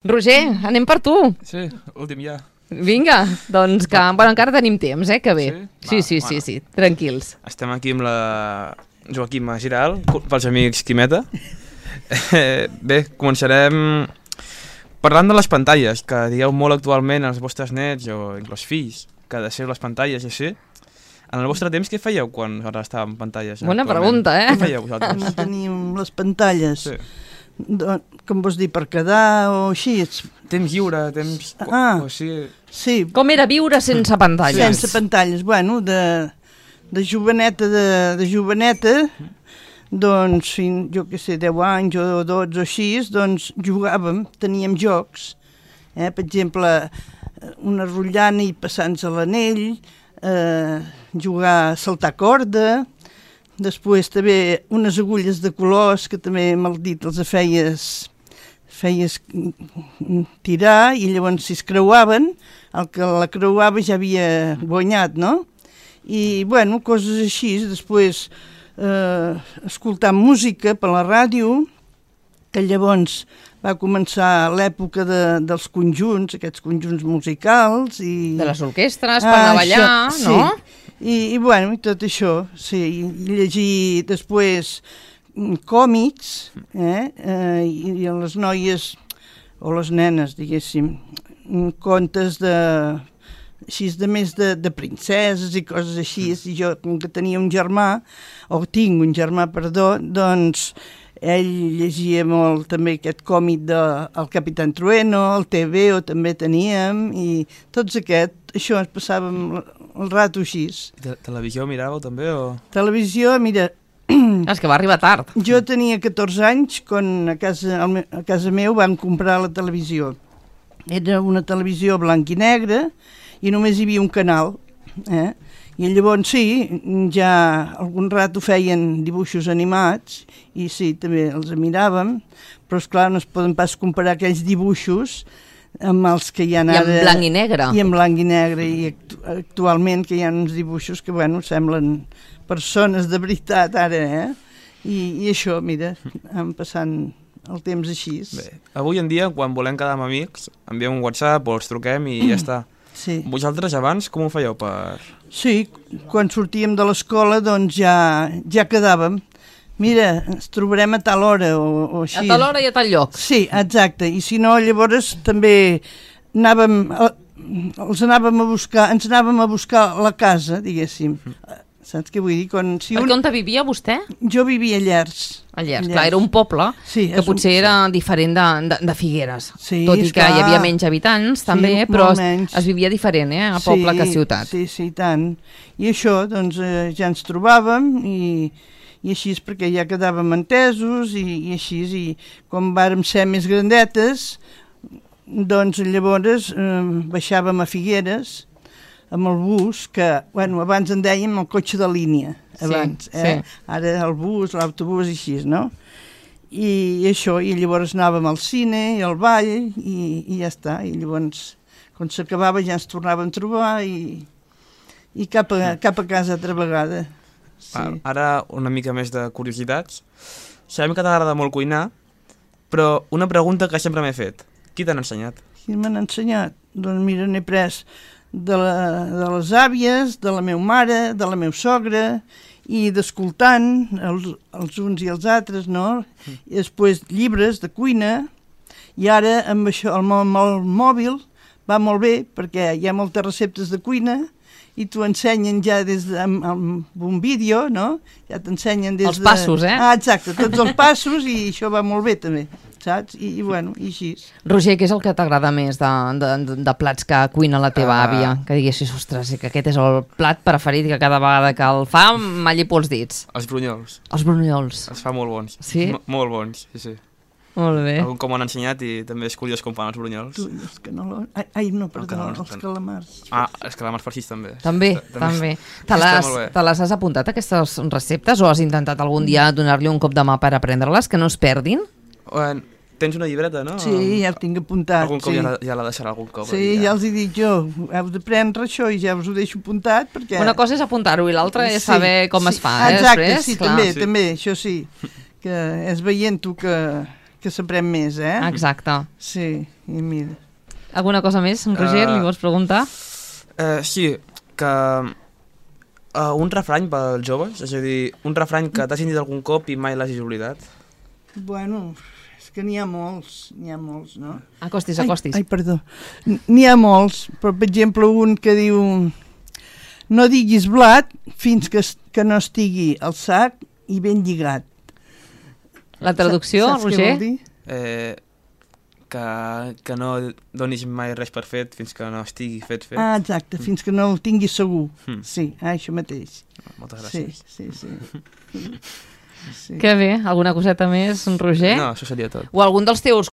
Roger, anem per tu. Sí, últim ja. Vinga, doncs que... Bueno, encara tenim temps, que bé. Sí, tranquils. Estem aquí amb la Joaquima Giral, pels amics Quimeta. Bé, començarem parlant de les pantalles, que dieu molt actualment als vostres nets o inclús fills, que deixeu les pantalles i així. En el vostre temps, què fèieu quan ara estàvem en pantalles? Bona pregunta, Què fèieu vosaltres? No teníem les pantalles. Sí. Com vols dir, per quedar o així? Temps lliure, temps... Ah, o sigui... sí. Com era viure sense pantalles? Sense pantalles. Bueno, de joveneta, doncs, jo què sé, 10 anys o 12 o així, doncs jugàvem, teníem jocs. Per exemple, una rotllana i passar-nos a l'anell, jugar a saltar corda, després també unes agulles de colors que també mal dit els feies tirar i llavors si es creuaven, el que la creuava ja havia guanyat, no? I, bueno, coses així. Després escoltar música per la ràdio, que llavors va començar l'època dels conjunts, aquests conjunts musicals. De les orquestres, per anar a ballar, això, no? Sí. I bueno, i tot això, sí, i llegir després còmics, i les noies, o les nenes, diguéssim, contes així de més de princeses i coses així, i jo, com que tenia un germà, o tinc un germà, perdó, doncs ell llegia molt també aquest còmic del Capitán Trueno, el TVO també teníem, i tots això ens passàvem el rato així. Televisió miràveu també o...? Televisió, mira... És que va arribar tard. Jo tenia 14 anys quan a casa meu van comprar la televisió. Era una televisió blanc i negre i només hi havia un canal, I llavors sí, ja algun rato feien dibuixos animats i sí, també els miràvem, però esclar no es poden pas comparar aquells dibuixos amb els que hi ha ara... I en blanc i negre. I en blanc i negre, i actualment que hi ha uns dibuixos que, bueno, semblen persones de veritat ara, I això, mira, em passant el temps així. Bé, avui en dia, quan volem quedar amb amics, enviem un WhatsApp o els truquem i ja està. Sí. Vosaltres abans com ho fèieu per...? Sí, quan sortíem de l'escola doncs ja quedàvem. Mira, ens trobarem a tal hora o així. A tal hora i a tal lloc. Sí, exacte. I si no, llavors també ens anàvem a buscar a la casa, diguéssim. Saps què vull dir? Perquè on vivia vostè? Jo vivia a Llers. A Llers, clar, era un poble que potser era diferent de Figueres. Sí, tot i que hi havia menys habitants també, però es vivia diferent, a poble que a ciutat. Sí, tant. I això, doncs, ja ens trobàvem i així és perquè ja quedàvem entesos i així, i quan vàrem ser més grandetes, doncs llavors baixàvem a Figueres amb el bus, que, bueno, abans en dèiem el cotxe de línia, abans, sí. Ara el bus, l'autobús i així, no? I això, i llavors anàvem al cine i al ball i ja està, i llavors quan s'acabava ja ens tornàvem a trobar i cap a casa altra vegada. Sí. Ara una mica més de curiositats. Sabem que t'agrada molt cuinar, però una pregunta que sempre m'he fet. Qui t'ha ensenyat? Qui m'han ensenyat? Doncs mira, n'he pres de les àvies, de la meva mare, de la meva sogra, i d'escoltant els uns i els altres, no? I després llibres de cuina, i ara amb això, el mòbil va molt bé, perquè hi ha moltes receptes de cuina, i t'ho ensenyen ja amb un vídeo, no? Ja t'ensenyen des de... Els passos, Ah, exacte, tots els passos, i això va molt bé també, saps? I bueno, i així. Roger, què és el que t'agrada més de plats que cuina la teva àvia? Que diguessis, ostres, que aquest és el plat preferit que cada vegada que el fa m'allipo els dits. Els brunyols. Els brunyols. Els fa molt bons. Sí? Molt bons, sí. Molt bé. Algun com m'han ensenyat i també és curiós com fan els brunyols. Els canelons... Ai, no, perdó, els calamars. Ah, els calamars farcits també. També. Te les has apuntat, aquestes receptes, o has intentat algun dia donar-li un cop de mà per aprendre-les, que no es perdin? Tens una llibreta, no? Sí, ja ho tinc apuntat. Algun cop ja la deixarà algun cop. Sí, ja els he dit jo, heu d'aprendre això i ja us ho deixo apuntat perquè... Una cosa és apuntar-ho i l'altra és saber com es fa, exacte, després. Sí, també, això sí, que és veient-ho que s'aprèn més, Exacte. Sí, i mira. Alguna cosa més, en Roger, li vols preguntar? Sí, que un refrany pels joves, és a dir, un refrany que t'has sentit algun cop i mai l'hagis oblidat. Bueno, és que n'hi ha molts, no? Acostis. Ai, perdó. N'hi ha molts, però per exemple un que diu no diguis blat fins que no estigui al sac i ben lligat. La traducció, Saps Roger? què vol dir? Que no donis mai res per fet fins que no estigui fet. Ah, exacte, fins que no el tinguis segur. Sí, això mateix. Moltes gràcies. Sí. Que bé, alguna coseta més, Roger? No, això seria tot. O algun dels teus